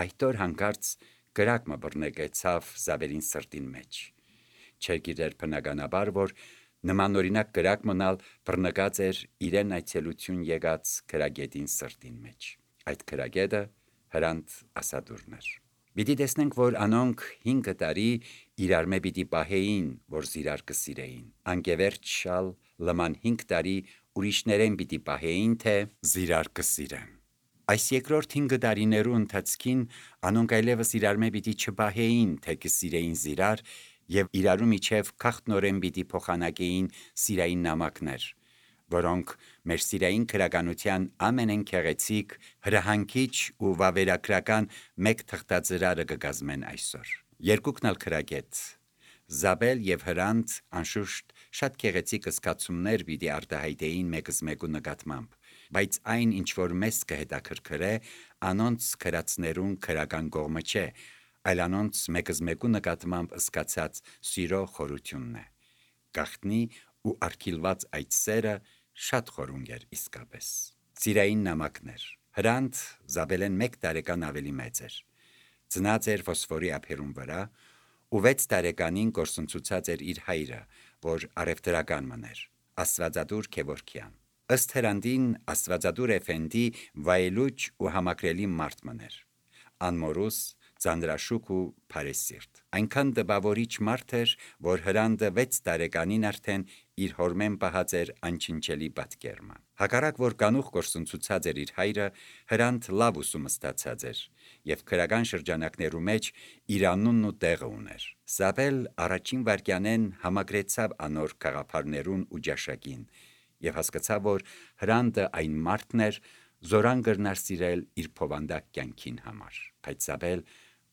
Այդտոր հանկարծ կրակ մը բռնեկեցավ Զաբելին սրտին մեջ։ Չգիտեր բնականաբար, որ նմանօրինակ կրակ մնալ բռնկած էր իրեն այցելություն եկած քրագետին սրտին մեջ։ Այդ քրագետը Հրանտ Ասադուրն էր։ Պիտի տեսնենք, որ անոնք 5 տարի իրար մե պիտի պահեին, որ զիրար կսիրեին։ Անկևերջ շալ լման 5 տարի ուրիշներեն պիտի պահեին, թե զիրար կսիրեն։ Այս երկրորդ 5 տարիներու ընթացքին անոնք այլևս իրար մե պիտի չպահեին, թե կսիրեին զիրար եւ իրարու միջև քաղտնորեն պիտի փոխանակեին սիրային նամակներ, որոնք մեր սիրային քրագանության ամենեն քեղեցիկ, հրահանգիչ ու վավերագրական մեկ թղթածրարը կգազմեն այսօր։ Երկուքն ալ քրագետ Զաբել եւ Հրանտ անշուշտ շատ քեղեցիկ զգացումներ պիտի արտահայտեին մեկս մեկու նկատմամբ, բայց այն ինչ որ մեզ կհետաքրքրե, անոնց քրածներուն քրական կողմը չէ, այլ անոնց մեկս մեկու նկատմամբ զգացած սիրո խորությունն է։ Գախտնի ու արգիլված այդ սերը շատ խորունգ էր իսկապես։ Սիրային նամակներ։ Հրանտ Զաբելեն 1 տարեկան ավելի մեծ էր։ Ծնած էր Ֆոսֆորի ափերուն վրա ու 6 տարեկանին գործընծուցած էր իր հայրը, որ արևտրական մներ, Աստվածադուր Քևորքյան։ Ըստ Հրանդին Աստվածադուր Էֆենդի վայելուչ ու համակրելի մարդ մներ, անմորուս, ծանրաշուք ու փարեսիրտ։ Այնքան դպավորիչ մարդ էր, որ Հրանդը 6 տարեկանին արդեն իր հորմեն պահած էր անչնչելի պատկերմը։ Հակառակ որ կանուխ գործընծուցած էր իր հայրը, Հրանտ լավ ուսում ստացած էր եւ քրական շրջանակներու մեջ իր անունն ու տեղը ուներ։ Զաբել առաջին վարքյանեն համակրեցավ անոր գաղափարներուն ու ջաշակին եւ հասկացավ, որ Հրանդը այն մարդն էր, զորան կրնար սիրել իր փովանդակ կյանքին համար։ Բայց Զաբել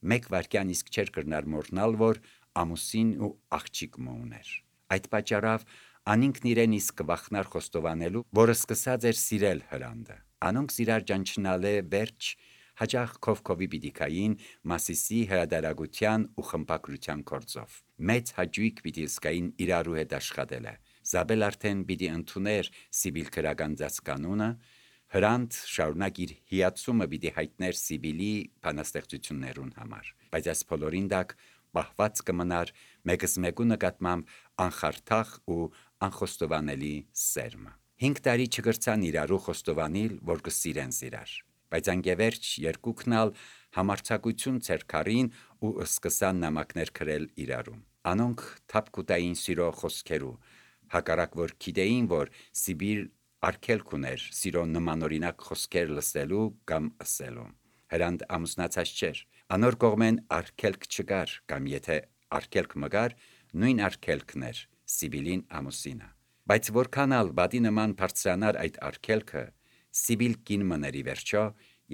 1 վարքյան իսկ չէր կրնար մոռնալ, որ ամուսին ու աղջիկ մը ուներ։ Այդ պատճառով անինքն իրեն իսկ կվախնար խոստովանելու, որ սկսած էր սիրել Հրանդը։ Անոնք իրար ճանչնալե վերջ հաճախ քովքովի պիտի կային Մասիսի հրադարագության ու խմբակրության գործով։ Մեծ հաճույք պիտի զգային իրարու հետ աշխատելը։ Զաբել արդեն պիտի ընդուներ Սիբիլ քրագանձած կանոնը, Հրանտ շարունակ իր հիացումը պիտի հայտներ Սիբիլի բանաստեղծություններուն համար, բայց այս բոլորին դակ պահված կմնար մեկս մեկու նկատմամբ անխարթախ ու անխոստովանելի սերմը։ 5 տարի չգրցան իրարու խոստովանիլ, որ կսիրեն զիրար, բայց անկևերջ երկուքն ալ համարձակություն ցերքարին ու սկսան նամակներ գրել իրարու։ Անոնք թափկուտային սիրո խոսքերու, հակառակ որ գիտեին, որ Սիբիլ արգելք ուներ սիրո նմանօրինակ խոսքեր լսելու կամ ըսելու։ Հրանտ ամուսնացած չէր, անոր կողմեն արգելք չկար, կամ եթե արգելք մգար, նույն արգելքն էր Սիբիլին ամուսինը։ Բայց որքան ալ բադի նման բարձրանար այդ արգելքը, Սիբիլ կին մների վերջո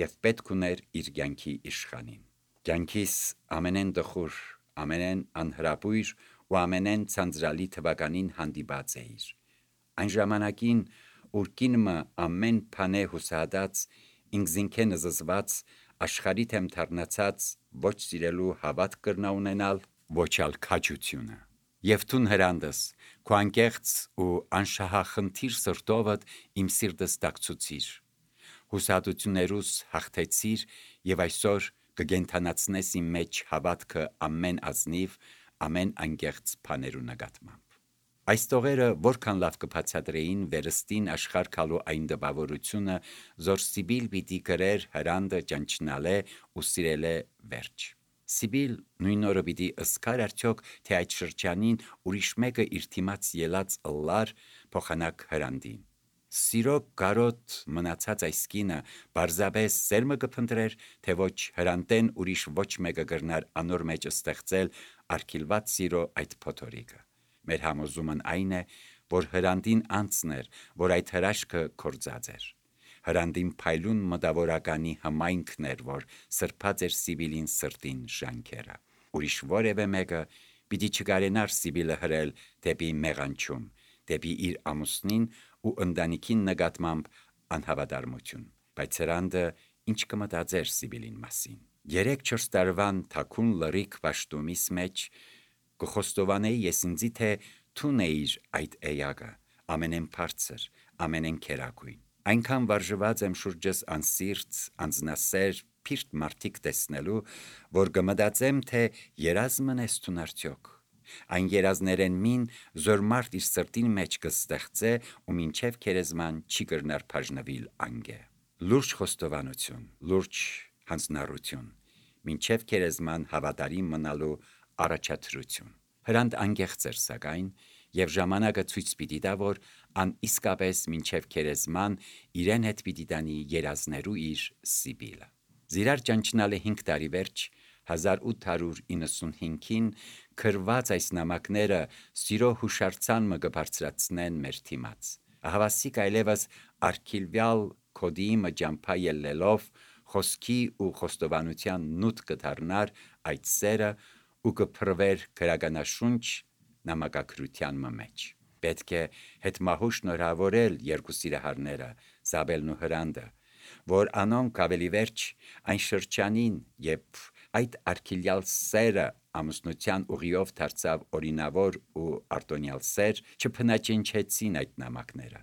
եւ պետք ուներ իր կյանքի իշխանին։ Կյանքիս ամենեն դխուր, ամենեն անհրապույր ու ամենեն ցանցրալի թվականին հանդիպած էիր։ Այն ժամանակին, ուր կինը ամեն բանե հուսահատած, ինքզինքեն զզված, աշխարհի թեմ թարնացած, ոչ սիրելու հավատ կրնա ունենալ, ոչ ալ քաջությունը։ Եվ տուն Հրանդս, քո անկեղծ ու անշահախնդիր սրտովդ իմ սիրտս տակցուցիր, հուսահատություններուս հաղթեցիր եւ այսօր կգենթանացնես իմ մեջ հավատքը ամեն ազնիվ, ամեն անկեղծ բաներու նկատմամբ։ Այս տողերը որքան լավ կբացատրեին վերստին աշխարհ գալու այն դպավորությունը, զոր Սիբիլ պիտի գրեր Հրանդը ճանչնալե ու սիրելե վերջ։ Սիբիլ նույն օրը պիտի ըսկար արդյոք, թե այդ շրջանին ուրիշ մեկը իր թիմաց ելած ըլլար փոխանակ Հրանդին։ Սիրո կարոտ մնացած այս կինը բարձաբես սերմը կփնտրեր, թե ոչ Հրանդեն ուրիշ ոչ մեկը կրնար անոր մեջ ստեղծել արգիլված սիրո այդ փոթորիկը։ Մեր համոզումն այն է, որ Հրանդին անցն էր, որ այդ հրաշքը կործած էր։ Հրանդին փայլուն մտավորականի համայնքն էր, որ սրբած էր Սիբիլին սրտին ժանքերը։ Ուրիշ որևէ մեկը պիտի չկարենար Սիբիլը հրել դեպի մեղանչում, դեպի իր ամուսնին ու ընտանիքին նկատմամբ անհավատարմություն։ Բայց Հրանդը ինչ կմտածեր Սիբիլին մասին։ 3-4 տարվան թաքուն լրիք պաշտումիս մեջ կխոստովանեի ես ինձի, թե թուն էիր այդ էյակը, ամենեն բարձր, ամենեն քերակույն։ Այնքան վարժված եմ շուրջս անսիրտ, անձնասեր, սփիրտ մարդիկ տեսնելու, որ կմտածեմ, թե երազմն ես տուն արդյոք։ Այն երազներեն մին զոր մարդ իր սրտին մեջ կստեղծե ու մինչև քերեզման չի կրնար բաժնվել անգե։ Լուրջ խոստովանություն, լուրջ հանձնառություն, մինչև քերեզման հավատարիմ մնալու առաջադրություն։ Հրանտ անգեղծ էր սակայն, եւ ժամանակը ցույց պիտի տա, որ ան իսկապես մինչև քերեզման իրեն հետ պիտի տանի երազներու իր Սիբիլը։ Զիրար ճանչնալը 5 տարի վերջ 1895-ին քրված այս նամակները սիրո հուշարձան մը կբարձրացնեն մեր թիմաց։ Ահավասիկ այլևս արքիլվյալ կոդի մը ջամփա ելլելով խոսքի ու խոստովանության նուտ կդառնար այդ սերը ու կփրվեր քրագանաշունչ նամակագրության մեջ։ Պետք է հետմահու շնորհավորել երկու սիրահարները, Զաբելն ու Հրանտը, որ անոնք ավելի վերջ այն շրջանին, երբ այդ արքիլյալ սերը ամուսնության ուղիով դարձավ օրինավոր ու արտոնյալ սեր, չփնաճնչեցին այդ նամակները։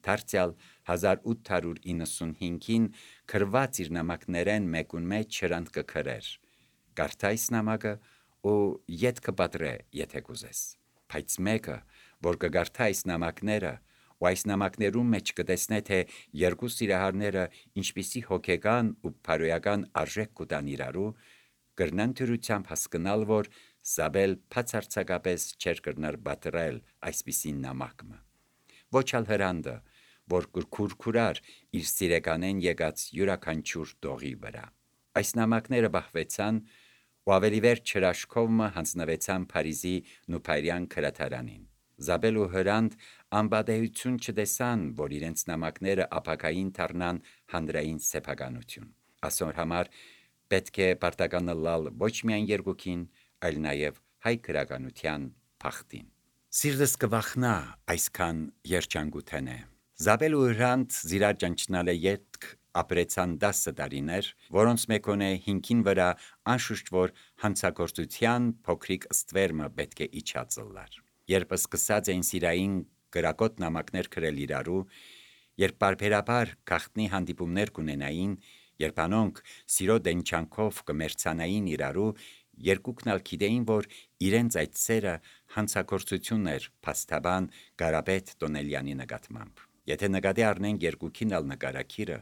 Դարձյալ 1895-ին քրված իր նամակներեն մեկուն մեջ Հրանտ կքրեր։ Կարդա այս նամակը ու ետ կպատրե, եթե կուզես։ Բայց մեկը, որ կգարթա այս նամակները, ու այս նամակներում մեջ կտեսնե, թե երկու սիրահարները ինչպիսի հոգեկան ու փարոյական արժեք կուտան իրարու, կրնան դյուրությամբ հասկնալ, որ Զաբել բացարձակապես չէր կրնար պատրել այսպիսի նամակը։ Ոչ ալ Հրանտը, որ կուրքուրար իր սիրեկանեն եկած յուրաքանչյուր տողի վրա։ Այս նամակները բահվեցան ու ավելի վերջ հրաշքովը հանձնվեցան Փարիզի Նուփայրյան քրաթարանին։ Զաբել ու Հրանտ անբադեյություն չտեսան, որ իրենց նամակները ապակային դառնան հանրային սեփականություն։ Ասոր համար պետք է պարտականալալ ոչ միայն երկուքին, այլ նաև հայ քրագանության փախտին։ Սիրտս կվախնա այսքան երջանկութենե։ Զաբել ու Հրանտ զիրար ճանչնալը ետք ապրեցան 10 տարիներ, որոնց մեկոնե 5-ին վրա անշուշտ որ հանցագործության փոքրիկ ստվերմը պետք է իջածլար։ Երբ սկսած էին սիրային գրակոտ նամակներ գրել իրարու, երբ բարբերաբար գախտնի հանդիպումներ կունենային, երբ անոնք սիրո դենչանքով կմերցանային իրարու, երկուքն ալ գիտեին, որ իրենց այդ սերը հանցագործություն էր փաստաբան Կարապետ Տոնելյանի նկատմամբ։ Եթե նկատի առնենք երկուքին ալ նկարակիրը,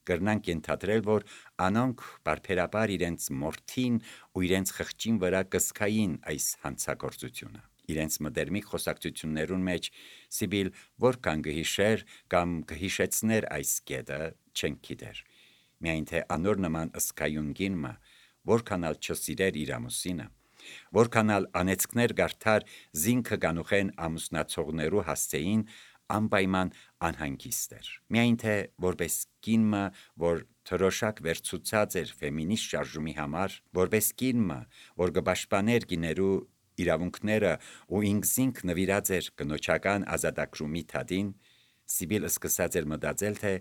կրնանք ենթադրել, որ անոնք բարբերաբար իրենց մորթին ու իրենց խղճին վրա կսկային այս հանցագործությունը։ Իրենց մտերմիկ խոսակցություններուն մեջ Սիբիլ որքան կհիշեր կամ կհիշեցներ այս կետը չեն գիտեր։ Միայն թե անոր նման ըսկայուն գինը որքան ալ չսիրեր իր ամուսինը, որքան ալ անեցքներ գարթար զինքը կանուխեն ամուսնացողներու հասցեին, անպայման անհանգիստ էր։ Միայն թե որպես կինը, որ թրոշակ վերցուցած էր ֆեմինիստ շարժումի համար, որպես կինը, որ կպաշտպաներ գիներու իրավունքները ու ինքզինք նվիրած էր կնոջական ազատագրումի թադին, Սիբիլ սկսած էր մտածել, թե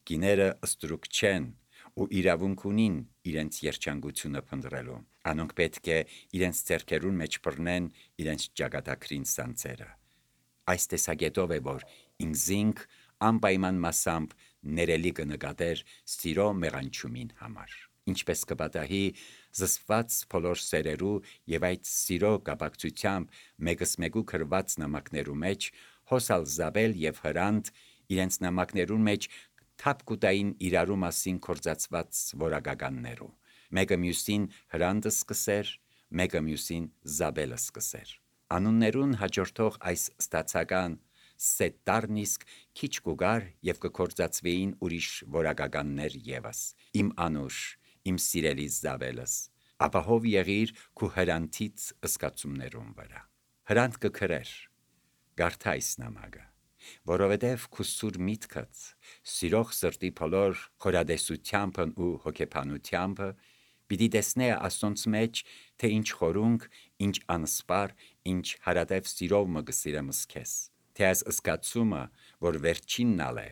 գիները ստրուկ չեն ու իրավունք ունին իրենց երջանկությունը փնտրելու։ Անոնք պետք է իրենց ձեռքերուն մեջ բռնեն իրենց ճակատագրին սանձերը։ Այս տեսակետով է, որ ինքզինք անպայման մասամբ ներելի կնկատեր սիրո մեղանչումին համար։ Ինչպես կպատահի զսպված բոլոր սերերու եւ այդ սիրո կապակցությամբ մեկս մեկու քրված նամակներու մեջ հոսալ Զաբել եւ Հրանտ իրենց նամակներուն մեջ թափկուտային իրարու մասին կորցածված որակականներու։ Մեկը մյուսին Հրանտը սկսեր, մեկը մյուսին Զաբելը սկսեր։ Անուններուն հաջորդող այս ստացական սետտարն իսկ քիչ կուգար եւ կկործածվեին ուրիշ որակականներ եւս։ Իմ անուշ, իմ սիրելի Զաբելս, ապահով եղիր քու Հրանտից ըսկացումներուն վրա։ Հրանտ կքրեր, գարթա այս նամակը, որովհետև քու սուր միտքդ, սիրող սրտի բոլոր խորադեսությանբն ու հոգեբանությանբը պիտի տեսնե Աստոնց մեջ, թե ինչ խորունկ, ինչ անսպար, ինչ հարատև սիրով մը գսիրեմս քեզ, թե այս ըսկացումը, որ վերջինն ալ է,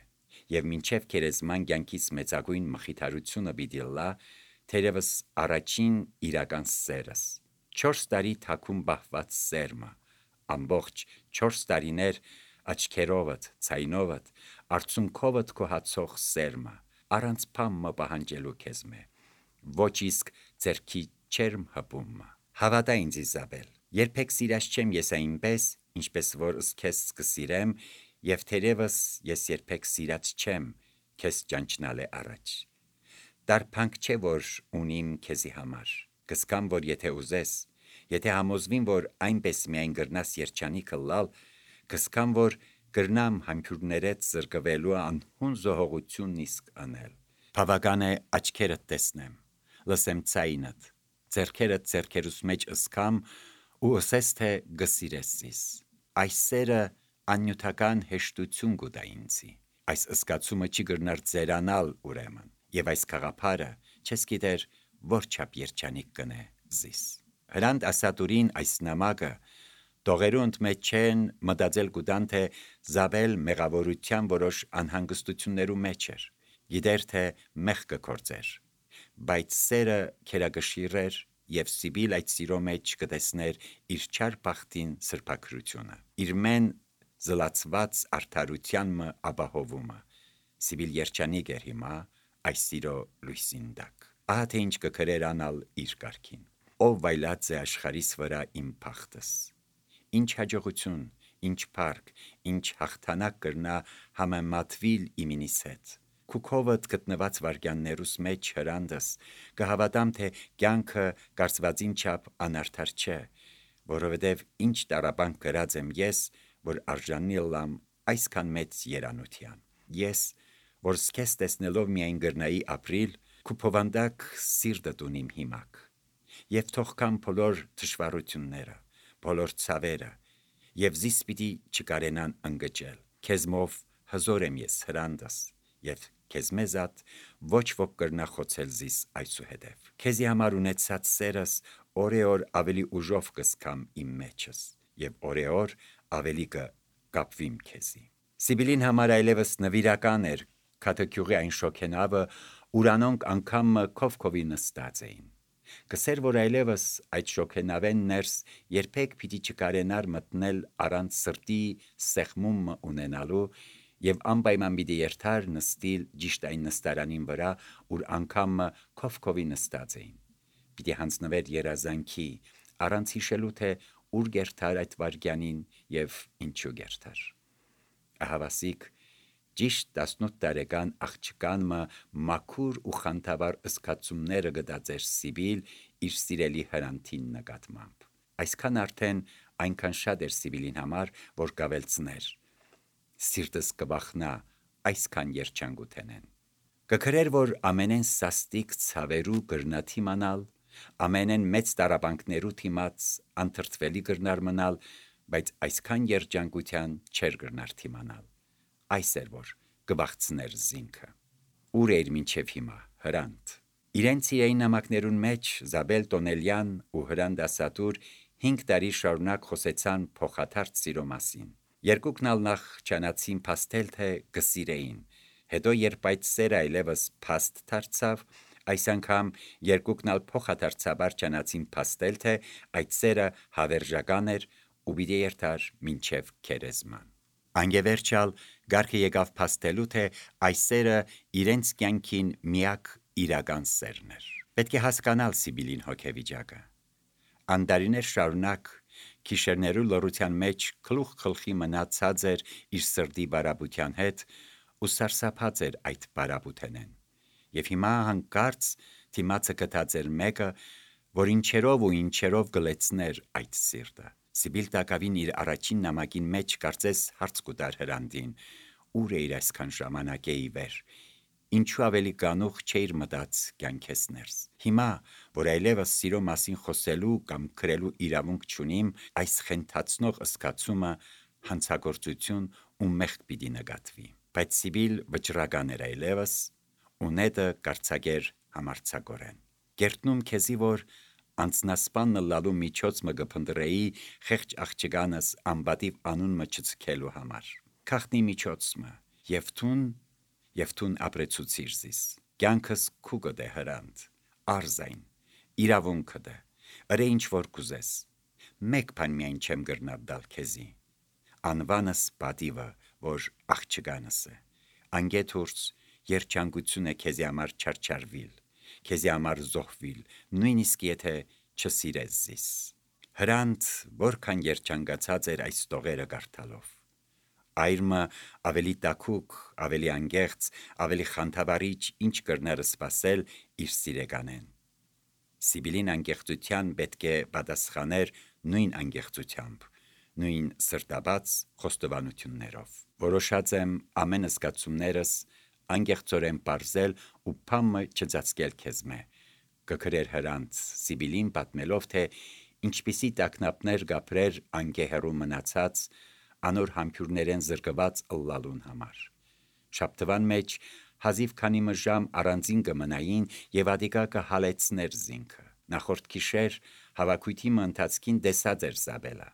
եւ մինչև քերեզման կյանքից մեծագույն մխիթարությունը պիտի լա, թերևս առաջին իրական սերս, 4 տարի թակում բահված սերմը, ամբողջ 4 տարիներ աչքերովդ, ցայնովդ, արցունքովդ քո հացող սերմը, առանց փամը պահանջելու քեզ մե, ոչ իսկ ձեռքի չերմ հպումը։ Հավատա ինձ Իզաբել, երբեք սիրած չեմ ես այնպես, ինչպես որ քեզ կսիրեմ, եւ թերևս ես երբեք սիրած չեմ քեզ ճանչնալե առաջ։ Տարփանք չէ որ ունիմ քեզի համար, կսկամ որ եթե ուզես, եթե համոզվին որ այնպես միայն գրնաս երջանիկը լալ, կսկամ որ գրնամ համբուրներդ զրկվելու անհուն զոհողությունն իսկ անել։ Բավական է աչքերդ տեսնեմ, լսեմ ցայինդ, ձեռքերդ ձեռքերուս մեջ ըսկամ ու ըսես թե գսիրես զիս։ Այս սերը աննյութական հեշտություն գուտա ինձի, այս ըսկացումը չի գրնար ձերանալ ուրեմն, եւ այս քաղաքարը չես գիտեր որ չափ երջանիկ կնե զիս։ Հրանտ ասատուրին այս նամակը դողերու ընդմեջ չեն մտածել գուտան թե Զաբել մեղավորության որոշ անհանգստություններու մեջ էր, գիտեր թե մեղ կկործեր, բայց սերը քերագշիրեր եւ Սիբիլ այդ սիրո մեջ կտեսներ իր չար բախտին սրբակրությունը, իր մեն զլացված արդարության մը ապահովումը։ Սիբիլ երջանիկ էր հիմա այս սիրո լույսին տակ։ Ահա թե ինչ կքրեր անալ իր կարգին։ Ով վայլած է աշխարհիս վրա իմ փախտս։ Ինչ հաջողություն, ինչ փառք, ինչ հաղթանակ կրնա համեմատվիլ իմինիս հետ։ Քուքովդ գտնված վարգյաններուս մեջ հրանդս կհավատամ թե կյանքը կարծվածին չափ անարդար չէ, որովհետև ինչ տարապանք գրած եմ ես, որ արժանի լամ այսքան մեծ երանության։ Ես, որ սկես տեսնելով միայն գրնայի ապրիլ, քուփովանդակ սիրտը տունիմ հիմակ։ Եվ թողքամ բոլոր դժվարությունները, բոլոր ցավերը, եւ զիս պիտի չկարենան ընկճել։ Քեզմով հզոր եմ ես հրանդս, եւ քեզ մեզատ ոչ ոք կրնա խոցել զիս այսուհետև։ Քեզի համար ունեցած սերս օրեօր ավելի ուժով կսկամ իմ մեջս, եւ օրեօր ավելի կկապվիմ քեզի։ Սիբիլին համար այլևս նվիրական էր քաթեքյուղի այն շոքենավը, ուրանոնք անգամ քովքովի նստած էին։ Կսեր որ այլևս այդ շոքենավեն ներս երբեք պիտի չկարենար մտնել առանց սրտի սեղմում ունենալու եւ անպայման պիտի երթար նստիլ ճիշտ այն նստարանին վրա, ուր անգամ քովքովի նստած էին։ Պիտի հանձնվեր երազանքի, առանց հիշելու թե ուր գերթար այդ վարգյանին եւ ինչու գերթար։ Ահավասիկ ճիշտ 18 տարեկան աղջկան մաքուր ու խանդավառ ըսկացումները գտածեր Սիբիլ իր սիրելի հրանտին նկատմամբ։ Այսքան արդեն այնքան շատ էր Սիբիլին համար, որ կավելցներ։ Սիրտս կվախնա այսքան երջանկութենեն։ Կքրեր որ ամենեն սաստիկ ցավերու գրնա թիմանալ, ամենեն մեծ տարապանքներու թիմաց անթրթվելի գրնար մնալ, բայց այսքան երջանկության չեր գրնար թիմանալ։ Այս էր որ կվախցներ զինքը։ Ուր էր մինչև հիմա հրանտ։ Իրենց իրային նամակներուն մեջ Զաբել Տոնելյան ու Հրանտ Ասատուր 5 տարի շարունակ խոսեցան փոխադարձ սիրո մասին։ Երկուքն ալ նախ չանացին փաստել թե կսիրեին, հետո երբ այդ սերը այլևս փաստ դարձավ, այս անգամ երկուքն ալ փոխադարձաբար չանացին փաստել թե այդ սերը հավերժական էր ու պիտի երթար մինչև քերեզման։ Անգևերջալ գարքը եկավ փաստելու թե այս սերը իրենց կյանքին միակ իրական սերն էր։ Պետք է հասկանալ Սիբիլին հոգեվիճակը։ Անդարիներ շարունակ քիշերներու լռության մեջ գլուխ գլխի մնացած էր իր սրտի բարապության հետ ու սարսափած էր այդ բարապութենեն։ Եվ հիմա հանկարծ թիմացը գտած էր մեկը, որ ինչերով գլեցներ այդ սիրտը։ Սիբիլ տակավին իր առաջին նամակին մեջ կարծես հարց կուտար Հրանդին, ուր էիր այսքան ժամանակե ի վեր, ինչու ավելի գանուխ չէիր մտած կյանքես ներս։ Հիմա, որ այլևս սիրո մասին խոսելու կամ քրելու իրավունք չունիմ, այս խենթացնող ըսկացումը հանցագործություն ու մեղք պիտի նկատվի։ Բայց Սիբիլ վճռական էր այլևս, ու նետը կարծագեր համարձակորեն։ Գերտնում քեզի որ անցնասպանը լալու միջոց մը գփնդրեի խեղճ աղջկանս անբատիվ անուն մը չցկելու համար։ Քախնի միջոց մը եւ թուն ապրեցուցիր զիս։ Կյանքս քուգդ է Հրանտ, արզայն, իրավունքը դե, ըրե ինչ որ կուզես։ Մեկ բան միայն չեմ գրնար դալ քեզի։ Անվանս պատիվը, որ աղջկանս է։ Անգեթուրց երջանկություն է քեզի համար չարչարվիլ։ քեզի համար զոհվել, նույնիսկ եթե չսիրես զիս։ Հրանտ որքան երջանկացած էր այս տողերը կարդալով։ Այրմը ավելի տաքուկ, ավելի անգեղծ, ավելի խանդավառիչ ինչ կրներ սպասել իր սիրեկանեն։ Սիբիլին անգեղծության պետք է պատասխաներ նույն անգեղծությամբ, նույն սրտաբաց խոստովանություններով։ Որոշած եմ ամեն զգացումներս անգեղծորեն պարզել ու փամը չծածկել քեզմե, կգրեր Հրանտ Սիբիլին պատմելով, թե ինչպիսի տագնապներ գապրեր անգեհեռու մնացած անոր համբյուրներեն զրկված ըլլալուն համար։ Շաբթվան մեջ հազիվ քանի ժամ առանձին կմնային եւ ադիկա կհալեցներ զինքը։ Նախորդ գիշեր հավաքույթի ընթացքին տեսած էր Զաբելը,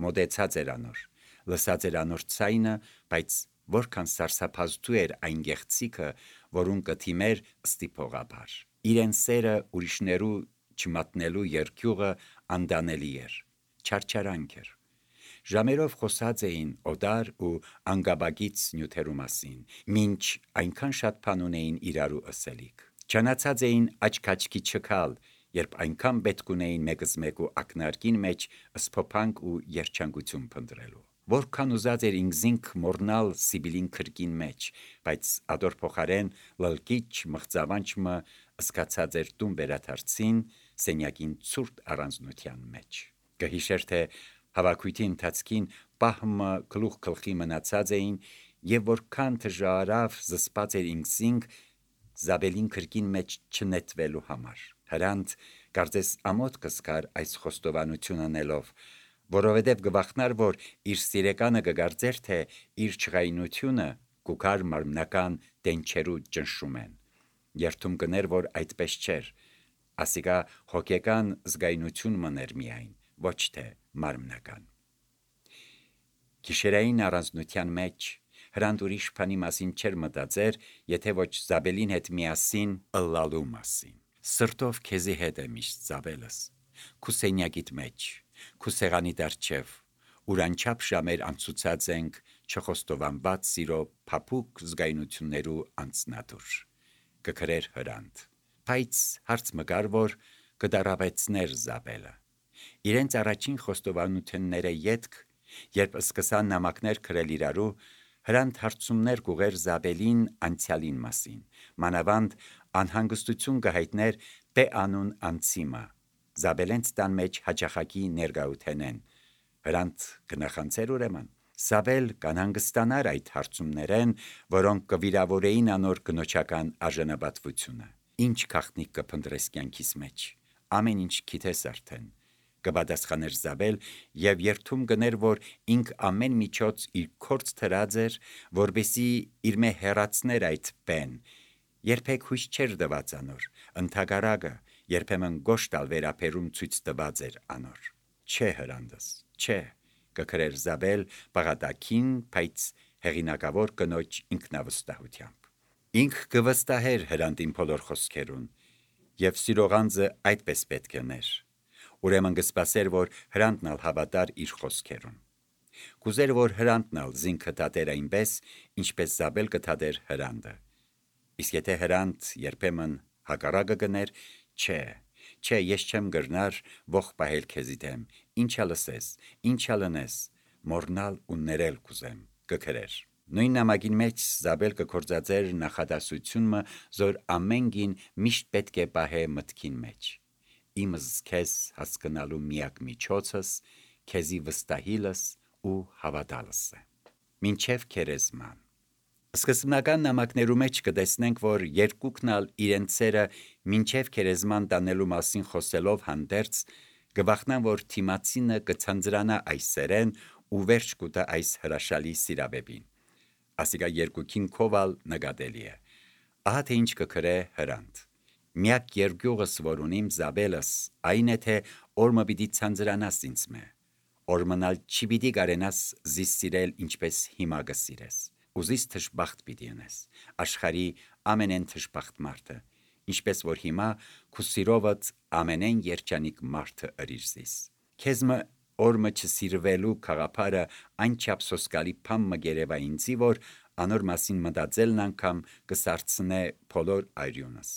մոտեցած էր անոր, լսած էր անոր ցայնը, բայց որքան սարսափազդու էր այն գեղցիկը, որուն կթիմեր ստիփողաբար։ Իրեն սերը ուրիշներու չմատնելու երկյուղը անդանելի էր, չարչարանք էր։ Ժամերով խոսած էին օդար ու անգաբագից նյութերու մասին, մինչ այնքան շատ բան ունեին իրարու ըսելիք։ Չանացած էին աչքաչքի չքալ, երբ այնքան պետք ունեին մեկզմեկու ակնարկին մեջ սփոփանք ու երջանկություն փնտրելու։ Որքան ուզած էր ինքզինք մորնալ Սիբիլին քրկին մեջ, բայց ադոր փոխարեն լլկիչ մղձավանջը սկացած էր տուն վերադարձին սենյակին ցուրտ առանձնության մեջ։ Կհիշեր, թե հավաքույթի ընթացքին պահմը գլուխ գլխի մնացած էին եւ որքան դժարավ զսպած էր ինքզինք Զաբելին քրկին մեջ չնետվելու համար։ Հրանտ կարծես ամոթ կսկար այս խոստովանություն անելով, որովհետև գվախնար, որ իր սիրեկանը կգարձեր, թե իր չղայնությունը կուքար մարմնական դենչերու ճնշում են։ Երթում կներ, որ այդպես չէր, ասիկա հոգեկան զգայնություն մներ միայն, ոչ թե մարմնական։ Գիշերային առանձնության մեջ Հրանտ ուրիշ բանի մասին չէր մտածեր, եթե ոչ Զաբելին հետ միասին ըլլալու մասին։ Սրտով քեզի հետ է միշտ Զաբելս, քու սենյակիդ մեջ, քու սեղանի դարձև, ուր անչափ ժամեր անցուցած ենք չխոստովանված սիրո փափուկ զգայնություններու անցնադուր, կգրեր Հրանտ։ Բայց հարց մգար, որ կդարավեցներ Զաբելը։ Իրենց առաջին խոստովանությունները ետք, երբ սկսան նամակներ գրել իրարու, Հրանտ հարցումներ կուղեր Զաբելին անցյալին մասին, մանավանդ անհանգստություն կհայտներ տե անուն անցիմը, Զաբելենց տան մեջ հաճախակի ներգայութենեն։ Հրանտ կնախանցեր ուրեմն։ Զաբել կանհանգստանար այդ հարցումներեն, որոնք կվիրավորեին անոր կնոջական արժանապատվությունը։ Ինչ քաղտնիք կփնտրես կյանքիս մեջ, ամեն ինչ գիտես արդեն, կպատասխաներ Զաբել եւ երթում գներ, որ ինք ամեն միջոց իր կորց թրած էր, որբեսի իր մե հեռացներ այդ բեն։ Երբեք հույս չէր տված անոր, ընդհակառակը երբեմն գոշ տալ վերապերում ցույց տված էր անոր։ Չէ Հրանտս, չէ, կգրեր Զաբել բաղատակին, բայց հեղինակավոր կնոջ ինքնավստահությամբ։ Ինք կվստահեր Հրանտին բոլոր խոսքերուն, եւ սիրողանձը այդպես պետք է ներ։ Ուրեմն կսպասեր, որ Հրանտն ալ հավատար իր խոսքերուն։ Կուզեր, որ Հրանտն ալ զինքը տատեր այնպես, ինչպես Զաբել կտատեր Հրանտը։ Իսկ եթե Հրանտ երբեմն հակառակը գներ, չէ, ես չեմ գրնար ողջ պահել քեզի դեմ, ինչա լսես, ինչա լնես, մորնալ ու ներել կուզեմ, կգրեր։ Նույն նամակին մեջ Զաբել կգործածեր նախադասությունը, որ ամենգին միշտ պետք է պահե մտքին մեջ։ Իմս քեզ հասկանալու միակ միջոցս քեզի վստահիլս ու հավատալս է։ Մինչև քերեզման։ Սկզբնական նամակներու մեջ կտեսնենք, որ երկուքն ալ իրենցերը մինչև քերեզման տանելու մասին խոսելով հանդերձ գվախնան, որ թիմացինը կցանձրանա այս սերեն ու վերջ կուտա այս հրաշալի սիրավեպին։ Ասիկա երկուքին կովալ նկատելի է։ Ահա թե ինչ կգրե Հրանտ։ Միակ երկյուղս, որ ունիմ Զաբելս, այն է, թե օրմը պիտի ցանձրանաս ինձ մե։ Օրմնալ չի պիտի կարենաս զիս սիրել ինչպես հիմա կսիրես։ Ուզիս թշբախտ պիտի ունես, աշխարհի ամենեն թշբախտ մարդը, ինչպես որ հիմա քու սիրովդ ամենեն երջանիկ մարդը ըրիրզիս։ Քեզմը օրմը չսիրվելու խաղապարը այնչափ սոսկալի փամ մգերևա ինձի, որ անոր մասին մտածելն անգամ կսարցնե բոլոր այրյունս։